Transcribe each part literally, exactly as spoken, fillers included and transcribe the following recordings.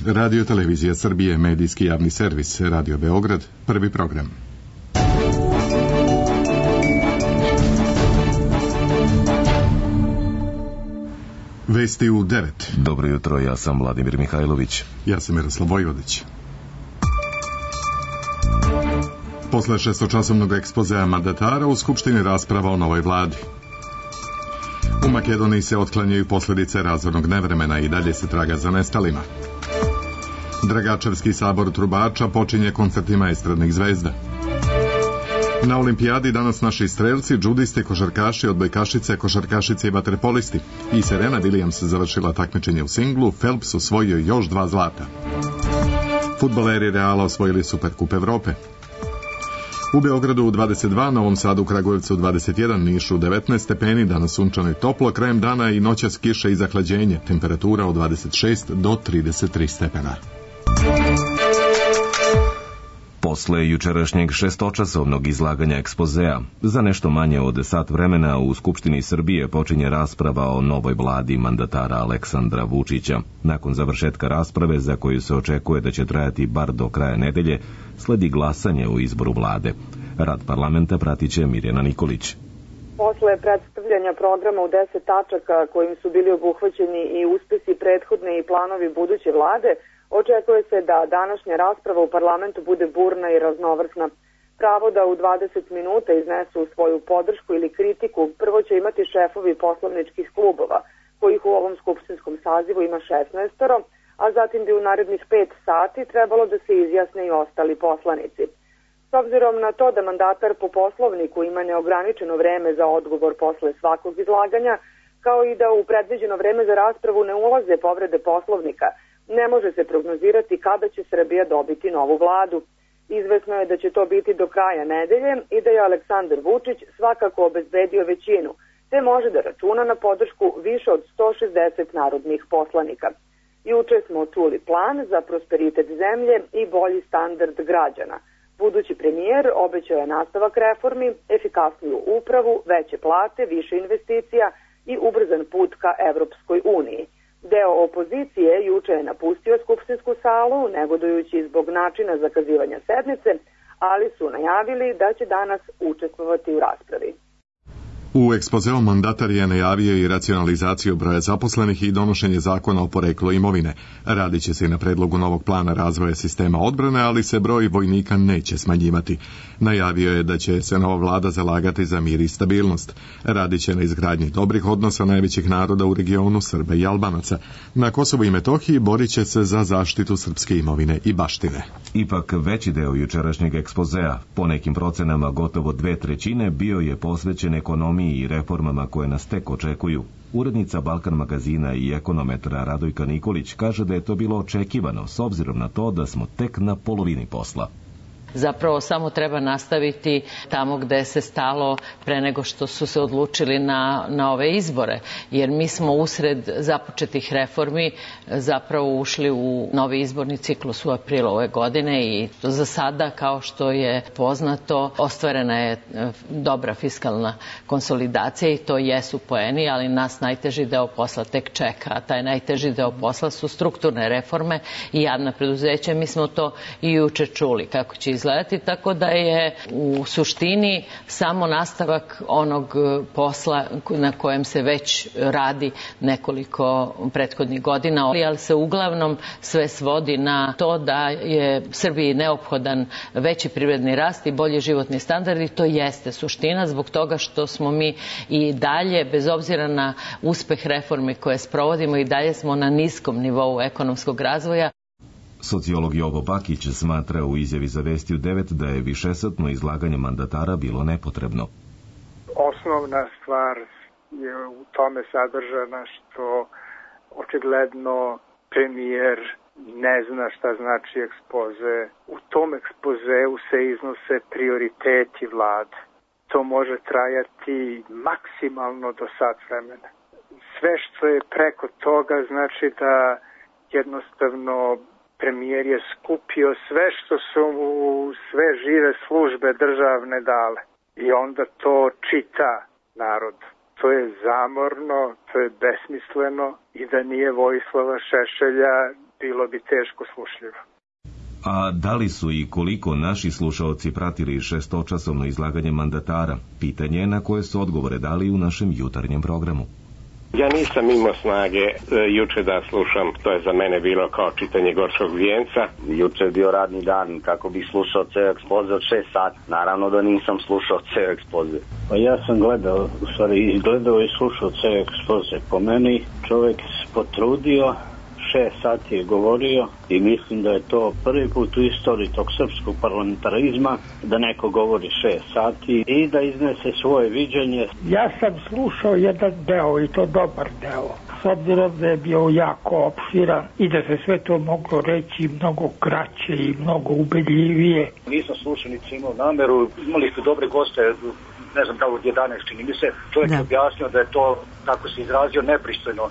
Radio Televizija Srbije, medijski javni servis, Radio Beograd, prvi program. Vesti u devet. Dobro jutro, ja sam Vladimir Mihajlović. Ja sam Miroslav Vojvodić. Posle šestočasovnog ekspozea mandatara u Skupštini rasprava o novoj vladi. U Makedoniji se otklanjaju posljedice razornog nevremena i dalje se traga za nestalima. Dragačevski sabor trubača počinje koncertima estradnih zvezda. Na olimpijadi danas naši strelci, džudisti, košarkaši, odbojkašice, košarkašice i vaterpolisti. I Serena Williams završila takmičenje u singlu, Phelps osvojio još dva zlata. Fudbaleri Reala osvojili Superkup Evrope. U Beogradu u dvadeset dva, Novom Sadu, Kragujevcu dvadeset jedan, Nišu devetnaest stepeni, danas sunčano i toplo, krajem dana i noćas kiša i zahlađenje, temperatura od dvadeset šest do trideset tri stepena. Posle jučerašnjeg šestočasovnog izlaganja ekspozea, za nešto manje od sat vremena u Skupštini Srbije počinje rasprava o novoj vladi mandatara Aleksandra Vučića. Nakon završetka rasprave, za koju se očekuje da će trajati bar do kraja nedelje, sledi glasanje o izboru vlade. Rad parlamenta pratit će Mirjana Nikolić. Posle predstavljanja programa u deset tačaka kojim su bili obuhvaćeni i uspesi prethodne i planovi buduće vlade, očekuje se da današnja rasprava u parlamentu bude burna i raznovrsna. Pravo da u dvadeset minuta iznesu svoju podršku ili kritiku prvo će imati šefovi poslovničkih klubova, kojih u ovom skupštinskom sazivu ima šesnaestoro, a zatim bi u narednih pet sati trebalo da se izjasne i ostali poslanici. S obzirom na to da mandatar po poslovniku ima neograničeno vreme za odgovor posle svakog izlaganja, kao i da u predviđeno vreme za raspravu ne ulaze povrede poslovnika, ne može se prognozirati kada će Srbija dobiti novu vladu. Izvesno je da će to biti do kraja nedelje i da je Aleksandar Vučić svakako obezbedio većinu, te može da računa na podršku više od sto šezdeset narodnih poslanika. Juče smo čuli plan za prosperitet zemlje i bolji standard građana. Budući premijer obećao je nastavak reformi, efikasniju upravu, veće plate, više investicija i ubrzan put ka Evropskoj uniji. Deo opozicije juče je napustio skupštinsku salu, negodujući zbog načina zakazivanja sednice, ali su najavili da će danas učestvovati u raspravi. U ekspozeu mandatar je najavio i racionalizaciju broja zaposlenih i donošenje zakona o poreklu imovine. Radit će se i na predlogu novog plana razvoja sistema odbrane, ali se broj vojnika neće smanjivati. Najavio je da će se nova vlada zalagati za mir i stabilnost. Radit će na izgradnji dobrih odnosa najvećih naroda u regionu, Srba i Albanaca. Na Kosovu i Metohiji borit će se za zaštitu srpske imovine i baštine. Ipak veći deo jučerašnjeg ekspozea, po nekim procenama gotovo dve trećine, bio je posvećen ekonomiji i reformama koje nas tek očekuju. Urednica Balkan magazina i ekonometra Radojka Nikolić kaže da je to bilo očekivano s obzirom na to da smo tek na polovini posla. Zapravo samo treba nastaviti tamo gde se stalo pre nego što su se odlučili na, na ove izbore. Jer mi smo usred započetih reformi zapravo ušli u novi izborni ciklus u aprilu ove godine i za sada, kao što je poznato, ostvarena je dobra fiskalna konsolidacija i to jesu poeni, ali nas najteži deo posla tek čeka. A taj najteži deo posla su strukturne reforme i javna preduzeća. Mi smo to i juče čuli kako će izgledati, tako da je u suštini samo nastavak onog posla na kojem se već radi nekoliko prethodnih godina, ali se uglavnom sve svodi na to da je Srbiji neophodan veći privredni rast i bolji životni standard i to jeste suština zbog toga što smo mi i dalje, bez obzira na uspeh reforme koje sprovodimo, i dalje smo na niskom nivou ekonomskog razvoja. Sociolog Jovo Bakić smatra u izjavi za Vesti u devet da je višesatno izlaganje mandatara bilo nepotrebno. Osnovna stvar je u tome sadržana što očigledno premijer ne zna šta znači ekspoze. U tom ekspozeu se iznose prioriteti vlade. To može trajati maksimalno do sat vremena. Sve što je preko toga znači da jednostavno premijer je skupio sve što su mu sve žive službe državne dale i onda to čita narod. To je zamorno, to je besmisleno i da nije Vojislava Šešelja bilo bi teško slušljivo. A da li su i koliko naši slušaoci pratili šestočasovno izlaganje mandatara? Pitanje je na koje su odgovore dali u našem jutarnjem programu. Ja nisam imao snage e, juče da slušam, to je za mene bilo kao čitanje gorskog vijenca. Juče je bio radni dan, kako bih slušao ceo ekspoze od šest sati. Naravno da nisam slušao ceo ekspoze. Pa ja sam gledao, u stvari izgledao i slušao ceo ekspoze. Po meni čovjek se potrudio, šest sati je govorio i mislim da je to prvi put u istoriji tog srpskog parlamentarizma da neko govori šest sati i da iznese svoje viđenje. Ja sam slušao jedan deo i to dobar deo. S obzirom da je bio jako opširan i da se sve to moglo reći mnogo kraće i mnogo ubedljivije. Nisam slušao, niti imao nameru. Imali ste dobre goste, ne znam da od jedanaest čini mi se. Čovjek je objasnio da je to, kako se izrazio, nepristojno.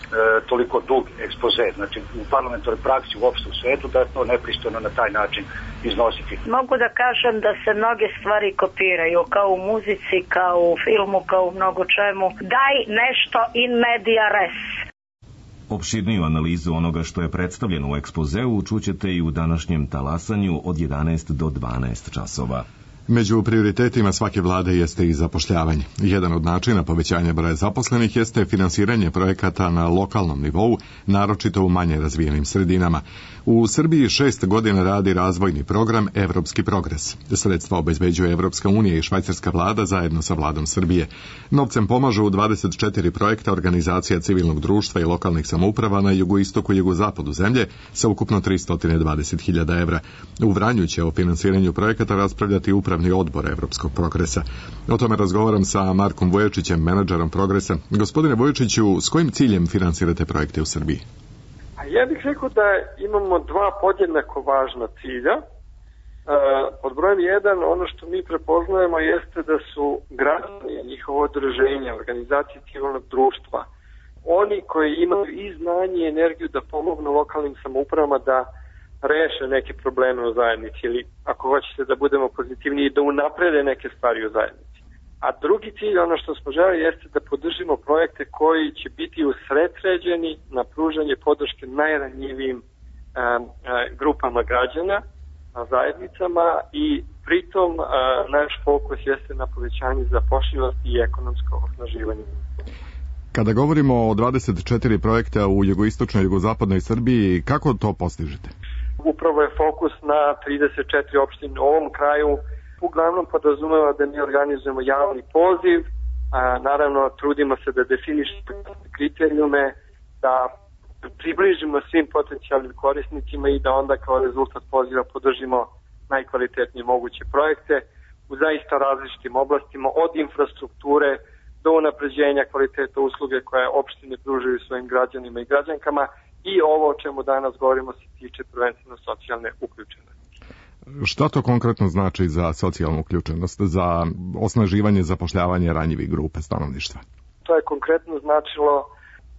E, toliko dug ekspoze, znači u parlamentarnoj praksi uopšte u svetu, da je to nepristojno na taj način iznositi. Mogu da kažem da se mnoge stvari kopiraju, kao u muzici, kao u filmu, kao u mnogo čemu. Daj nešto in media res. Opširniju analizu onoga što je predstavljeno u ekspozeu čućete i u današnjem talasanju od jedanaest do dvanaest časova. Među prioritetima svake vlade jeste i zapošljavanje. Jedan od načina povećanja broja zaposlenih jeste finansiranje projekata na lokalnom nivou, naročito u manje razvijenim sredinama. U Srbiji šest godina radi razvojni program Evropski progres. Sredstva obezbeđuje Evropska unija i švajcarska vlada zajedno sa vladom Srbije. Novcem pomažu u dvadeset četiri projekta organizacija civilnog društva i lokalnih samouprava na jugoistoku i jugozapadu zemlje sa ukupno tristo dvadeset hiljada evra. U Vranju će o finansiranju projekata raspravljati upravni odbor Evropskog progresa. O tome razgovaram sa Markom Vuječićem, menadžerom progresa. Gospodine Vuječiću, s kojim ciljem finansirate projekte u Srbiji? Ja bih rekao da imamo dva podjednako važna cilja. Pod brojem jedan, ono što mi prepoznajemo jeste da su građani, njihovo udruženje, organizacije civilnog društva, oni koji imaju i znanje i energiju da pomognu lokalnim samoupravama da reše neke probleme u zajednici ili, ako hoćete da budemo pozitivniji, da unaprede neke stvari u zajednici. A drugi cilj, ono što smo želi, jeste da podržimo projekte koji će biti usredsređeni na pružanje podrške najranjivijim a, a, grupama građana, a, zajednicama i pritom a, naš fokus jeste na povećanju zapošljivosti i ekonomsko osnaživanje. Kada govorimo o dvadeset četiri projekta u jugoistočnoj i jugozapadnoj Srbiji, kako to postižete? Upravo je fokus na trideset četiri opštine u ovom kraju. Uglavnom podrazumeva da mi organizujemo javni poziv, a, naravno trudimo se da definišemo kriterijume, da približimo svim potencijalnim korisnicima i da onda kao rezultat poziva podržimo najkvalitetnije moguće projekte u zaista različitim oblastima, od infrastrukture do unapređenja kvaliteta usluge koje opštine pružaju svojim građanima i građankama i ovo o čemu danas govorimo se tiče prvenstveno socijalne uključenosti. Šta to konkretno znači za socijalnu uključenost, za osnaživanje zapošljavanja ranjivih grupe stanovništva? To je konkretno značilo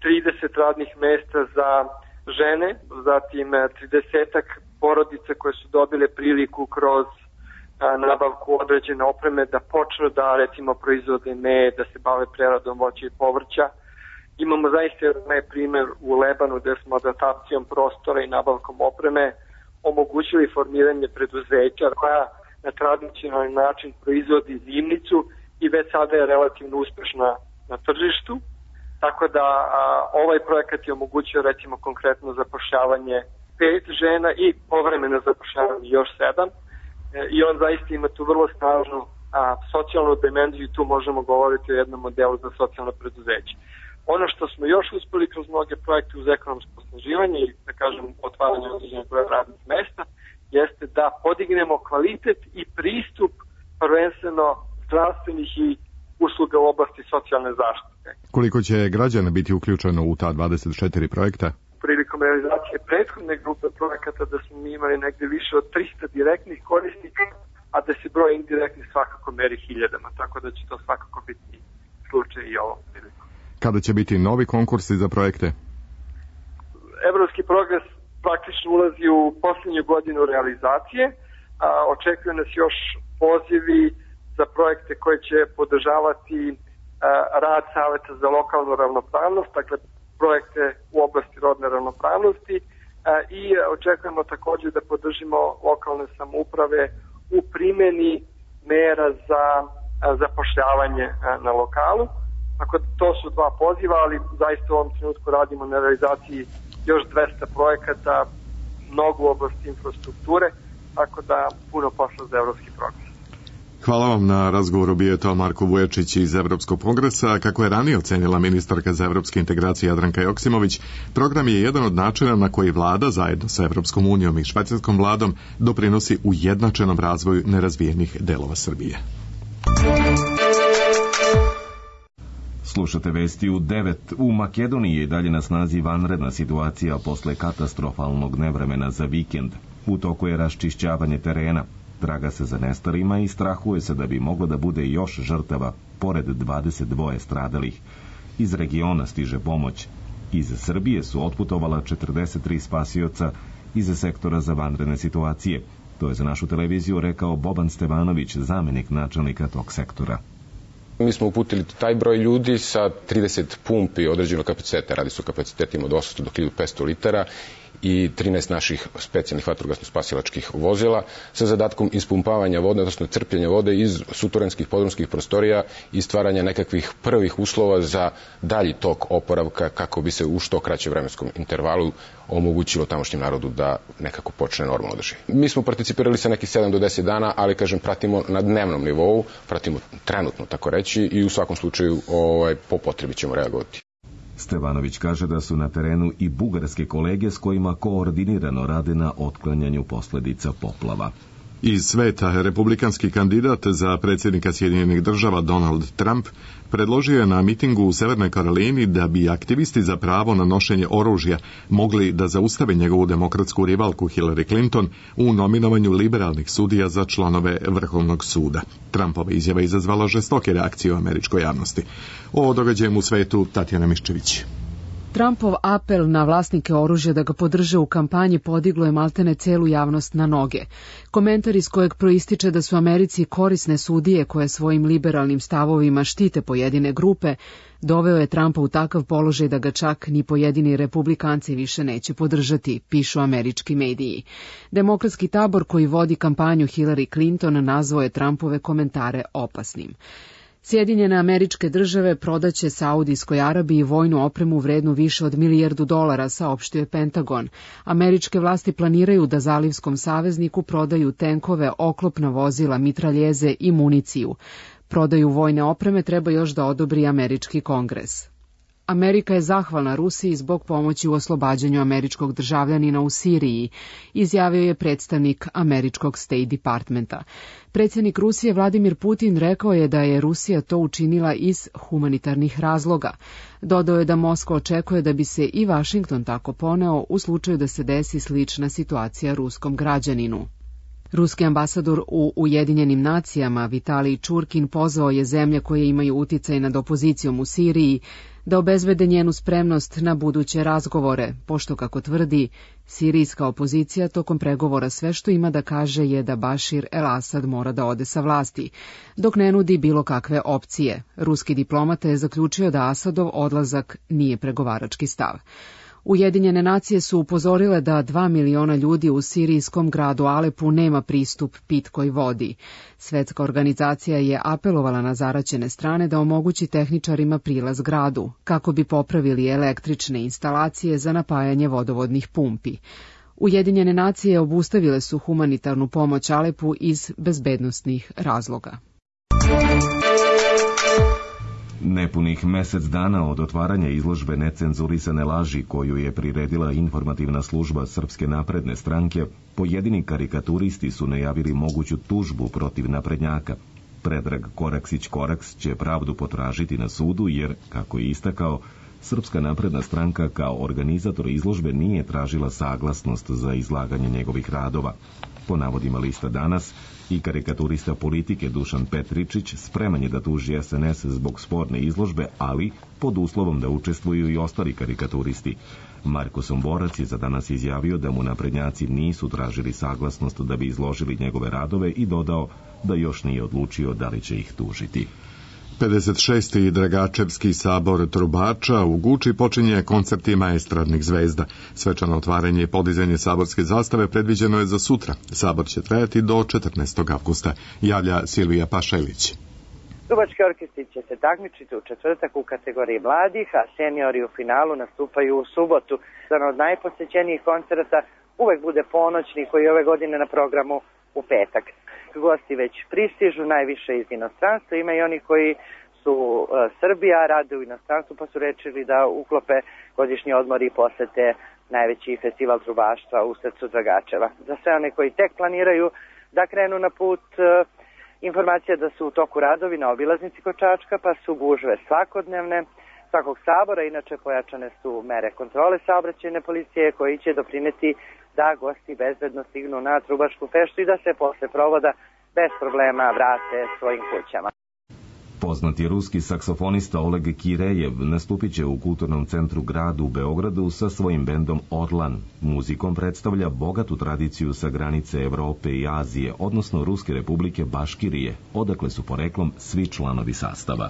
trideset radnih mesta za žene, zatim tridesetak porodica koje su dobile priliku kroz nabavku određene opreme da počnu da recimo proizvode med, da se bave preradom voća i povrća. Imamo zaista jedan primjer u Lebanu gde smo adaptacijom prostora i nabavkom opreme omogućili formiranje preduzeća koja na tradicionalni način proizvodi zimnicu i već sada je relativno uspešna na tržištu. Tako da a, ovaj projekat je omogućio recimo konkretno zapošljavanje pet žena i povremeno zapošljavanje još sedam. I on zaista ima tu vrlo snažnu a, socijalnu dimenziju i tu možemo govoriti o jednom modelu za socijalno preduzeće. Ono što smo još uspeli kroz mnoge projekte uz ekonomsko osnaživanje i da kažem otvaranje određenog broja radnih mesta jeste da podignemo kvalitet i pristup prvenstveno zdravstvenih i usluga u oblasti socijalne zaštite. Koliko će građana biti uključeno u ta dvadeset četiri projekta? Prilikom realizacije prethodne grupe projekata da smo mi imali negde više od trista direktnih korisnika, a da se broj indirektnih svakako meri hiljadama, tako da će to svakako biti slučaj i ovom prilikom. Kada će biti novi konkursi za projekte? Evropski progres praktično ulazi u posljednju godinu realizacije, a očekuju nas još pozivi za projekte koje će podržavati a, rad Saveta za lokalnu ravnopravnost, dakle projekte u oblasti rodne ravnopravnosti, i očekujemo takođe da podržimo lokalne samouprave u primjeni mera za zapošljavanje na lokalu. Tako da to su dva poziva, ali zaista u ovom trenutku radimo na realizaciji još dvesta projekata, mnogo u oblasti infrastrukture, tako da puno posla za Evropski progres. Hvala vam na razgovoru, bio je to Marko Vujačić iz Evropskog kongresa. Kako je ranije ocenila ministarka za evropske integracije Jadranka Joksimović, program je jedan od načina na koji vlada zajedno sa Evropskom unijom i švajcarskom vladom doprinosi ujednačenom razvoju nerazvijenih delova Srbije. Slušate vesti u devet. U Makedoniji je dalje na snazi vanredna situacija posle katastrofalnog nevremena za vikend. U toku je raščišćavanje terena. Traga se za nestalima i strahuje se da bi moglo da bude još žrtava, pored dvadeset dva stradalih. Iz regiona stiže pomoć. Iz Srbije su otputovala četrdeset tri spasioca iz sektora za vanredne situacije. To je za našu televiziju rekao Boban Stevanović, zamenik načelnika tog sektora. Mi smo uputili taj broj ljudi sa trideset pumpi određenog kapaciteta, radi se o kapacitetima od osamsto do hiljadu petsto litara i trinaest naših specijalnih vatrogasno-spasilačkih vozila sa zadatkom ispumpavanja vode, odnosno crpljenja vode iz suterenskih podrumskih prostorija i stvaranja nekakvih prvih uslova za dalji tok oporavka kako bi se u što kraćem vremenskom intervalu omogućilo tamošnjem narodu da nekako počne normalno da živi. Mi smo participirali sa nekih sedam do deset dana, ali kažem pratimo na dnevnom nivou, pratimo trenutno tako reći i u svakom slučaju ovaj, po potrebi ćemo reagovati. Stevanović kaže da su na terenu i bugarske kolege s kojima koordinirano rade na otklanjanju posledica poplava. Iz sveta republikanski kandidat za predsjednika Sjedinjenih država Donald Trump predložio je na mitingu u Severnoj Karolini da bi aktivisti za pravo na nošenje oružja mogli da zaustave njegovu demokratsku rivalku Hillary Clinton u nominovanju liberalnih sudija za članove Vrhovnog suda. Trumpova izjava izazvala žestoke reakcije u američkoj javnosti. O događaju u svetu Tatjana Miščević. Trumpov apel na vlasnike oružja da ga podrže u kampanji podiglo je maltene celu javnost na noge. Komentar iz kojeg proističe da su Americi korisne sudije koje svojim liberalnim stavovima štite pojedine grupe, doveo je Trumpa u takav položaj da ga čak ni pojedini republikanci više neće podržati, pišu američki mediji. Demokratski tabor koji vodi kampanju Hillary Clinton nazvao je Trumpove komentare opasnim. Sjedinjene Američke države prodaće Saudijskoj Arabiji vojnu opremu vrednu više od milijardu dolara, saopštio je Pentagon. Američke vlasti planiraju da zalivskom savezniku prodaju tenkove, oklopna vozila, mitraljeze i municiju. Prodaju vojne opreme treba još da odobri američki kongres. Amerika je zahvalna Rusiji zbog pomoći u oslobađanju američkog državljanina u Siriji, izjavio je predstavnik američkog State Departmenta. Predsjednik Rusije Vladimir Putin rekao je da je Rusija to učinila iz humanitarnih razloga. Dodao je da Moskva očekuje da bi se i Vašington tako poneo u slučaju da se desi slična situacija ruskom građaninu. Ruski ambasador u Ujedinjenim nacijama Vitalij Čurkin pozvao je zemlje koje imaju uticaj nad opozicijom u Siriji da obezbede njenu spremnost na buduće razgovore, pošto, kako tvrdi, sirijska opozicija tokom pregovora sve što ima da kaže je da Bašir el-Asad mora da ode sa vlasti, dok ne nudi bilo kakve opcije. Ruski diplomata je zaključio da Asadov odlazak nije pregovarački stav. Ujedinjene nacije su upozorile da dva miliona ljudi u sirijskom gradu Alepu nema pristup pitkoj vodi. Svetska organizacija je apelovala na zaraćene strane da omogući tehničarima prilaz gradu, kako bi popravili električne instalacije za napajanje vodovodnih pumpi. Ujedinjene nacije obustavile su humanitarnu pomoć Alepu iz bezbednosnih razloga. Nepunih mesec dana od otvaranja izložbe necenzurisane laži koju je priredila informativna služba Srpske napredne stranke, pojedini karikaturisti su najavili moguću tužbu protiv naprednjaka. Predrag Koraksić-Koraks će pravdu potražiti na sudu jer, kako je istakao, Srpska napredna stranka kao organizator izložbe nije tražila saglasnost za izlaganje njegovih radova. Po navodima lista Danas, i karikaturista politike Dušan Petričić spreman je da tuži es en es zbog sporne izložbe, ali pod uslovom da učestvuju i ostali karikaturisti. Marko Somborac je za Danas izjavio da mu naprednjaci nisu tražili saglasnost da bi izložili njegove radove i dodao da još nije odlučio da li će ih tužiti. pedeset šesti Dragačevski sabor trubača u Guči počinje koncertima estradnih zvezda. Svečano otvaranje i podizanje saborske zastave predviđeno je za sutra. Sabor će trajati do četrnaestog avgusta, javlja Silvija Pašelić. Trubački orkestri će se takmičiti u četvrtak u kategoriji mladih, a seniori u finalu nastupaju u subotu. Jedan od najposećenijih koncerata uvek bude ponoćni koji je ove godine na programu u petak. Gosti već pristižu, najviše iz inostranstva, ima i oni koji su uh, Srbija, rade u inostranstvu pa su rečili da uklope godišnji odmor i posete najveći festival trubaštva u srcu Dragačeva. Za sve one koji tek planiraju da krenu na put, uh, informacija da su u toku radovi na obilaznici kod Čačka, pa su gužve svakodnevne. Svakog sabora, inače pojačane su mere kontrole saobraćajne policije koji će doprineti da gosti bezbedno stignu na trubačku feštu i da se posle provoda bez problema vrate svojim kućama. Poznati ruski saksofonista Oleg Kirejev nastupit će u Kulturnom centru gradu u Beogradu sa svojim bendom Orlan. Muzikom predstavlja bogatu tradiciju sa granice Evrope i Azije, odnosno Ruske republike Baškirije, odakle su poreklom svi članovi sastava.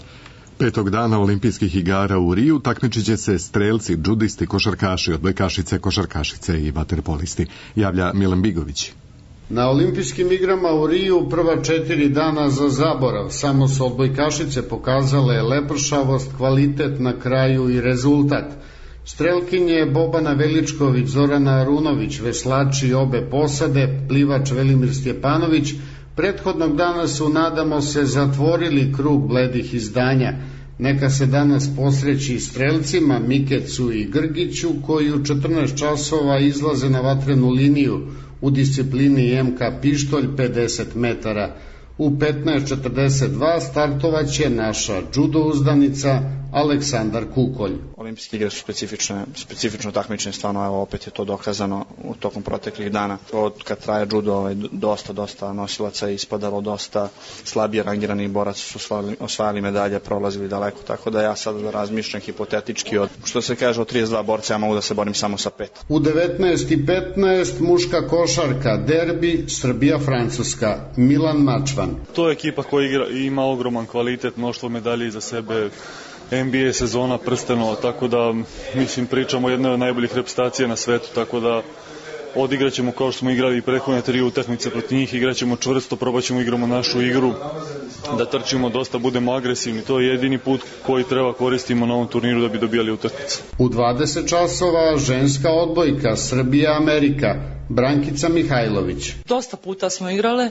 Petog dana olimpijskih igara u Riju takmičit će se strelci, džudisti, košarkaši, odbojkašice, košarkašice i vaterpolisti, javlja Milan Bigović. Na olimpijskim igrama u Riju prva četiri dana za zaborav, samo su odbojkašice pokazale lepršavost, kvalitet na kraju i rezultat. Strelkinje Bobana Veličković, Zorana Arunović, veslači obe posade, plivač Velimir Stjepanović, prethodnog dana su, nadamo se, zatvorili krug bledih izdanja. Neka se danas posreći strelcima Mikecu i Grgiću, koji u četrnaest časova izlaze na vatrenu liniju u disciplini M K pištolj pedeset metara. U petnaest četrdeset dva startovaće naša judo uzdanica Aleksandar Kukolj. Olimpijske igre su specifične, specifično takmičenje, stvarno evo opet je to dokazano u tokom proteklih dana. Od kad traje judo, ovaj, dosta, dosta nosilaca je ispadalo, dosta slabije rangiranih boraca su osvajali, osvajali medalje, prolazili daleko, tako da ja sada razmišljam hipotetički od, što se kaže, od trideset dva borca ja mogu da se borim samo sa pet. U devetnaest i petnaest muška košarka, derbi Srbija-Francuska, Milan Mačvan. To je ekipa koja igra, ima ogroman kvalitet, mnoštvo medalje iza sebe, N B A sezona, prstenova, tako da, mislim, pričamo o jednoj od najboljih reprezentacija na svetu, tako da odigraćemo kao što smo igrali i prethodne tri utakmice protiv njih, igraćemo čvrsto, probaćemo igramo našu igru, da trčimo dosta, budemo agresivni, to je jedini put koji treba koristimo na ovom turniru da bi dobijali utakmice. U dvadeset časova ženska odbojka Srbija-Amerika, Brankica Mihajlović. Dosta puta smo igrale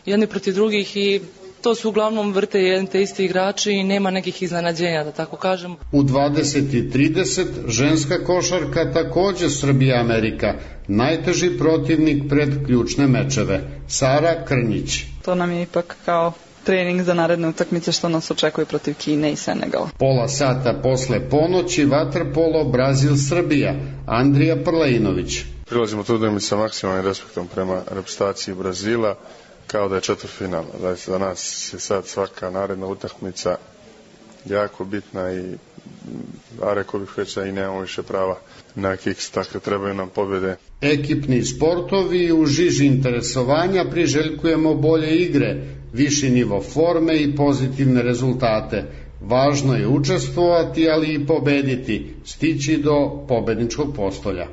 jedni protiv drugih i to su uglavnom vrte jedni te isti igrači i nema nekih iznenađenja, da tako kažem. U dvadeset i trideset ženska košarka takođe Srbija-Amerika, najteži protivnik pred ključne mečeve, Sara Krnjić. To nam je ipak kao trening za naredne utakmice što nas očekuje protiv Kine i Senegala. Pola sata posle ponoći vaterpolo Brazil-Srbija, Andrija Prlejinović. Prilazimo trudom i sa maksimalnim respektom prema reprezentaciji Brazila, kao da je četvrtfinal. Za nas je sad svaka naredna utakmica jako bitna i a rekao bih već da i nemamo više prava na kiks, tako trebaju nam pobjede. Ekipni sportovi u žiži interesovanja priželjkujemo bolje igre, viši nivo forme i pozitivne rezultate. Važno je učestvovati, ali i pobediti, stići do pobedničkog postolja.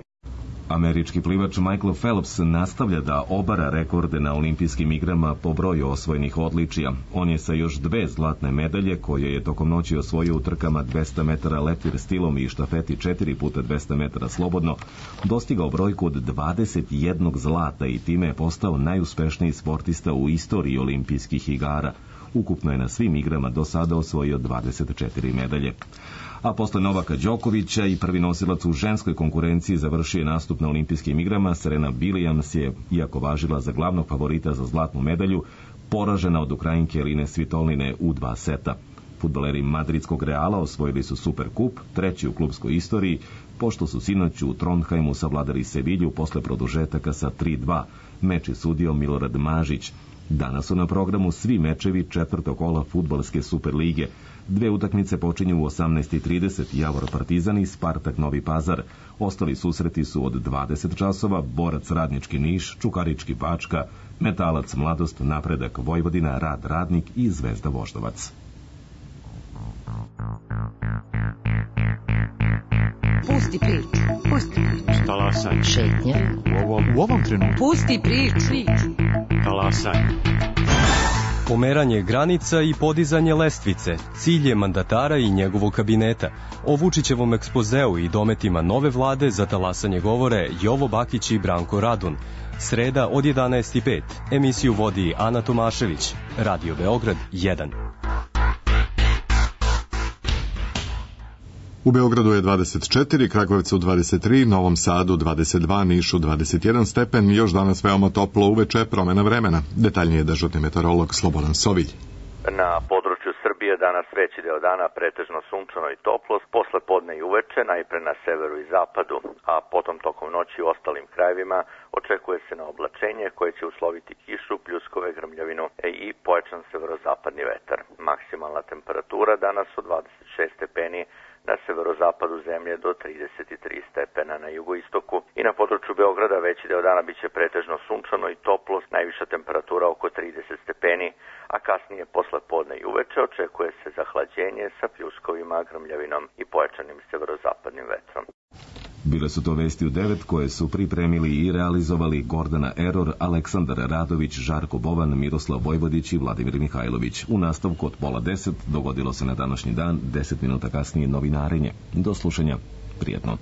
Američki plivač Michael Phelps nastavlja da obara rekorde na olimpijskim igrama po broju osvojenih odličija. On je sa još dve zlatne medalje, koje je tokom noći osvojio u trkama dvesta metara leptir stilom i štafeti četiri puta dvesta metara slobodno, dostigao brojku od dvadeset jednog zlata i time je postao najuspešniji sportista u istoriji olimpijskih igara. Ukupno je na svim igrama do sada osvojio dvadeset četiri medalje. A posle Novaka Đokovića i prvi nosilac u ženskoj konkurenciji završio je nastup na olimpijskim igrama. Serena Williams je, iako važila za glavnog favorita za zlatnu medalju, poražena od Ukrajinke Eline Svitoline u dva seta. Fudbaleri madridskog Reala osvojili su Superkup, treći u klubskoj istoriji, pošto su sinoć u Trondheimu savladali Sevilju posle produžetaka sa tri dva. Meč je sudio Milorad Mažić. Danas su na programu svi mečevi četvrtog kola fudbalske Superlige. Dve utakmice počinju u osamnaest i trideset, Javor Partizan i Spartak Novi Pazar. Ostali susreti su od dvadeset časova, Borac Radnički Niš, Čukarički Bačka, Metalac Mladost, Napredak Vojvodina, Rad Radnik i Zvezda Voždovac. Pusti priču. Pusti priču. Talasaj. Šetnja. U ovom, u ovom trenutku. Pusti priču. Talasaj. Pomeranje granica i podizanje lestvice, cilj je mandatara i njegovog kabineta. O Vučićevom ekspozeu i dometima nove vlade za talasanje govore Jovo Bakić i Branko Radun. Sreda od jedanaest i pet. Emisiju vodi Ana Tomašević. Radio Beograd jedan. U Beogradu je dvadeset četiri, Kragujevcu dvadeset tri, Novom Sadu dvadeset dva, Nišu dvadeset jedan stepen, još danas veoma toplo uveče, promena vremena. Detaljnije dežurni meteorolog Slobodan Sovilj. Na području Srbije danas veći deo dana pretežno sunčano i toplo, posle podne i uveče, najpre na severu i zapadu, a potom tokom noći u ostalim krajevima očekuje se na oblačenje koje će usloviti kišu, pljuskove, grmljavinu i pojačan severozapadni vetar. Maksimalna temperatura danas od dvadeset šest stepeni, na severozapadu zemlje do trideset tri stepena na jugoistoku i na području Beograda veći deo dana biće pretežno sunčano i toplo, najviša temperatura oko trideset stepeni, a kasnije posle podne i uveče očekuje se zahlađenje sa pljuskovima, grmljavinom i pojačanim severozapadnim vetrom. Bile su to vesti u devet koje su pripremili i realizovali Gordana Eror, Aleksandar Radović, Žarko Bovan, Miroslav Vojvodić i Vladimir Mihajlović. U nastavku od pola deset dogodilo se na današnji dan, deset minuta kasnije novinarenje. Do slušanja. Prijetno.